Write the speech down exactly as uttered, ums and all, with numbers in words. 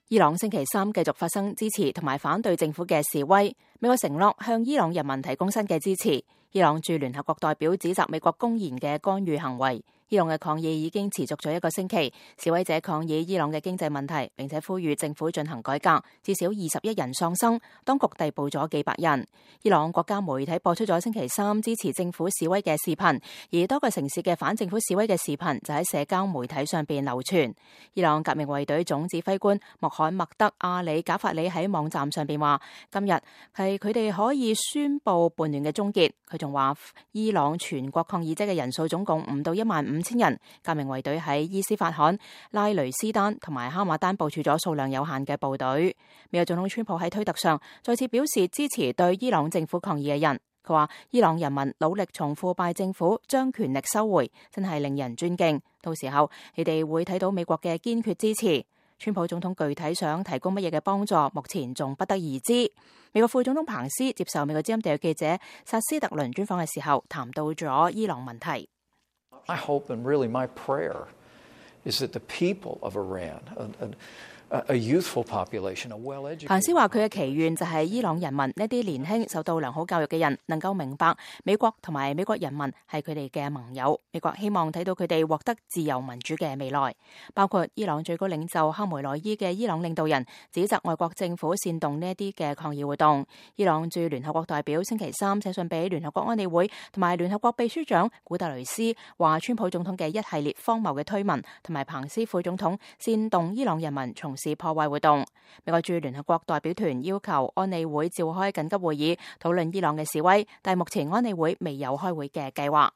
伊朗星期三繼續發生支持同埋反對政府嘅示威，美國承諾向伊朗人民提供新嘅支持。伊朗駐聯合國代表指責美國公然嘅干預行為。伊朗嘅抗議已經持續咗一個星期，示威者抗議伊朗嘅經濟問題，並且呼籲政府進行改革。至少二十一人喪生，當局逮捕咗幾百人。伊朗國家媒體播出咗星期三支持政府示威嘅視頻，而多個城市嘅反政府示威嘅視頻就喺社交媒體上邊流傳。伊朗革命衛隊總指揮官穆罕默德·阿里·賈法里喺網站上邊話：今日係佢哋可以宣布叛亂嘅終結。佢仲話，伊朗全國抗議者嘅人數總共唔到一萬五千人。革命衛隊喺伊斯法罕、拉雷斯丹同埋哈馬丹部署咗數量有限嘅部隊。美國總統川普喺推特上再次表示支持對伊朗政府抗議嘅人。佢話：伊朗人民努力從腐敗政府將權力收回，真係令人尊敬。到時候你哋會睇到美國嘅堅決支持。川普總統具體想提供乜嘢嘅幫助，目前仲不得而知。美國副總統彭斯接受美國之音特約記者薩斯特倫專訪嘅時候，談到咗伊朗問題。I hope and really my prayer is that the people of Iran, a, a, a youthful population, a well-educated. 彭斯話佢嘅祈願就係伊朗人民呢啲年輕受到良好教育嘅人能夠明白美國同埋美國人民係佢哋嘅盟友。美國希望睇到佢哋獲得自由民主嘅未來。包括伊朗最高領袖哈梅內伊嘅伊朗領導人指責外國政府煽動呢一啲嘅抗議活動。伊朗駐聯合國代表星期三寫信俾聯合國安理會同埋聯合國秘書長古特雷斯，話川普總統嘅一系列荒謬嘅推文同埋彭斯副總統煽動伊朗人民從事破壞活動。美國駐聯合國代表團要求安理會召開緊急會議討論伊朗嘅示威，但係目前安理會未有開會嘅計劃。